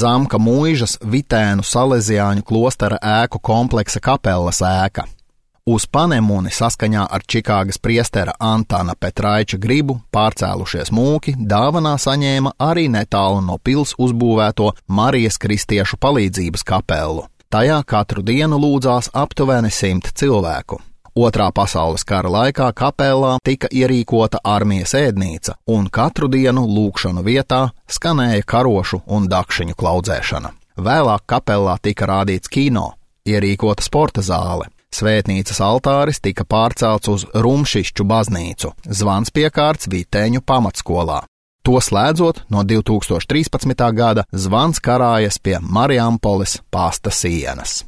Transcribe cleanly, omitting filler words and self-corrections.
Zamka Muižas Vitēnu Salesiāņu klostera ēku kompleksa kapellas ēka. Uz Panemuni saskaņā ar Čikāgas priestera Antana Petraiča gribu pārcēlušies mūki dāvanā saņēma arī netālu no pils uzbūvēto Marijas Kristiešu palīdzības kapellu. Tajā katru dienu lūdzās aptuveni 100 cilvēku. Otrā pasaules kara laikā kapellā tika ierīkota armijas ēdnīca, un katru dienu lūgšanu vietā skanēja karošu un dakšiņu klaudzēšana. Vēlāk kapellā tika rādīts kino, ierīkota sporta zāle. Svētnīcas altāris tika pārcelts uz Rumšišķu baznīcu, zvans piekārts Viteņu pamatskolā. To slēdzot, no 2013. gada zvans karājas pie Mariampoles pasta sienas.